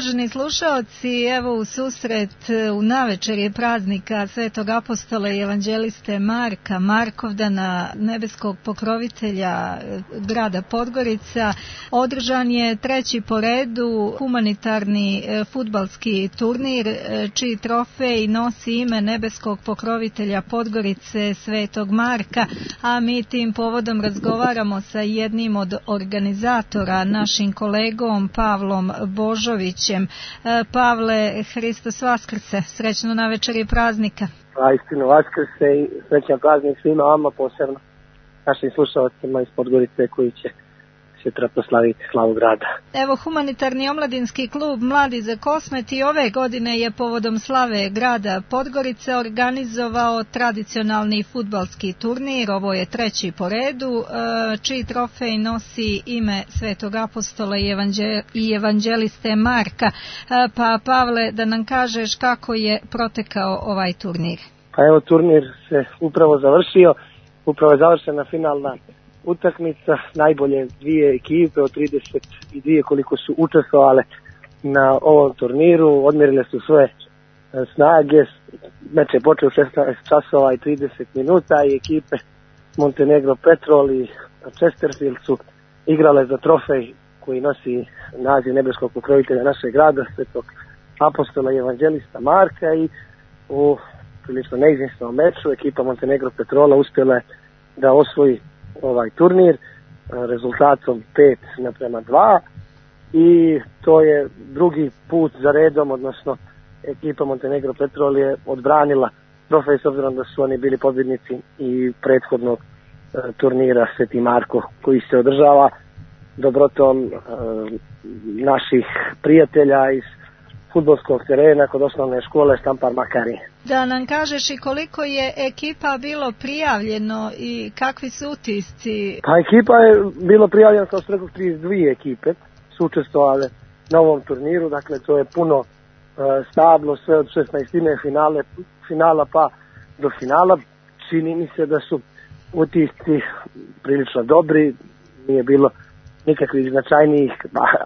Uvaženi slušaoci, evo u susret u navečerje praznika Svetog apostola i evanđeliste Marka Markovdana, nebeskog pokrovitelja grada Podgorica, održan je treći po redu humanitarni fudbalski turnir čiji trofej nosi ime nebeskog pokrovitelja Podgorice Svetog Marka, a mi tim povodom razgovaramo sa jednim od organizatora, našim kolegom Pavlom Božovićem. Pavle, Hristos Vaskrse, srećno na večeri praznika. Istino Vaskrse i srećan praznik svima vama, posebno našim slušalcima iz Podgorice koji će sutra proslaviti slavu grada. Evo, humanitarni omladinski klub Mladi za Kosmet i ove godine je povodom slave grada Podgorice organizovao tradicionalni fudbalski turnir. Ovo je treći po redu, čiji trofej nosi ime Svetog apostola i evanđeliste Marka. Pa Pavle, da nam kažeš kako je protekao ovaj turnir. Pa evo, turnir se upravo završio, upravo je završena finalna utakmica, najbolje dvije ekipe od 32 koliko su učestvovale na ovom turniru, odmjerile su svoje snage. Meč je počeo 16 časova i 30 minuta i ekipe Montenegro Petrol i Chesterfield su igrale za trofej koji nosi naziv nebeskog pokrovitelja našeg grada, Svetog apostola i evanđelista Marka, i u prilično neizvjesnom meču ekipa Montenegro Petrola uspjela je da osvoji ovaj turnir rezultatom 5:2 i to je drugi put za redom, odnosno ekipa Montenegro Petrol je odbranila trofej s obzirom da su oni bili pobjednici i prethodnog turnira Sveti Marko koji se održava dobrotom naših prijatelja iz fudbalskog terena kod osnovne škole Štampar Makarije. Da nam kažeš i koliko je ekipa bilo prijavljeno i kakvi su utisci? Pa ekipa je bilo prijavljeno, kao što rekao, 32 ekipe su učestvovale na ovom turniru, dakle to je puno stablo, sve od 16. finala pa do finala. Čini mi se da su utisci prilično dobri, nije bilo nikakvih značajnijih,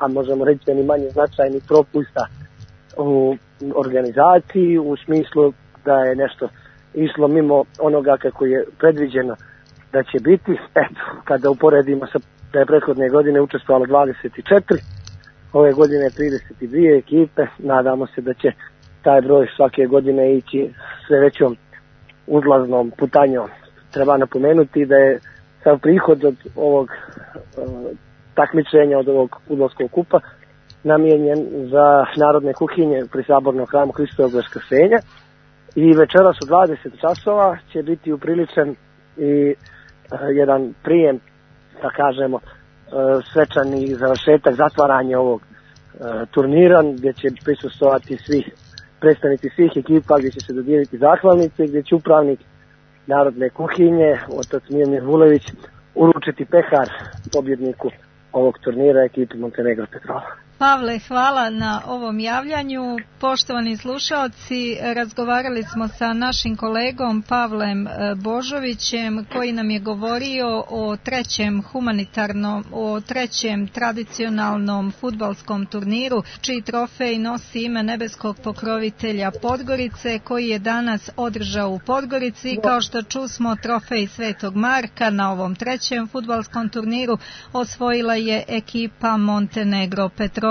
a možemo reći ni manje značajnih propusta u organizaciji, u smislu da je nešto išlo mimo onoga kako je predviđeno da će biti. Eto, kada uporedimo sa da je prethodne godine učestvovalo 24, ove godine 32 ekipe, nadamo se da će taj broj svake godine ići sve većom uzlaznom putanjom. Treba napomenuti da je sav prihod od ovog takmičenja, od ovog fudbalskog kupa namijenjen za narodne kuhinje pri Sabornom hramu Hristovog Vaskrsenja i večeras u 20 časova će biti upriličen i jedan prijem, da kažemo, svečani završetak, zatvaranje ovog turnira gdje će prisustvovati predstavnici svih ekipa, gdje će se dodijeliti zahvalnice, gdje će upravnik narodne kuhinje, otac Mijomir Vulević, uručiti pehar pobjedniku ovog turnira ekipi Montenegro Petrol. Pavle, hvala na ovom javljanju. Poštovani slušaoci, razgovarali smo sa našim kolegom Pavlem Božovićem koji nam je govorio o trećem tradicionalnom fudbalskom turniru čiji trofej nosi ime nebeskog pokrovitelja Podgorice koji je danas održao u Podgorici. Kao što čusmo, trofej Svetog Marka na ovom trećem fudbalskom turniru osvojila je ekipa Montenegro Petrol.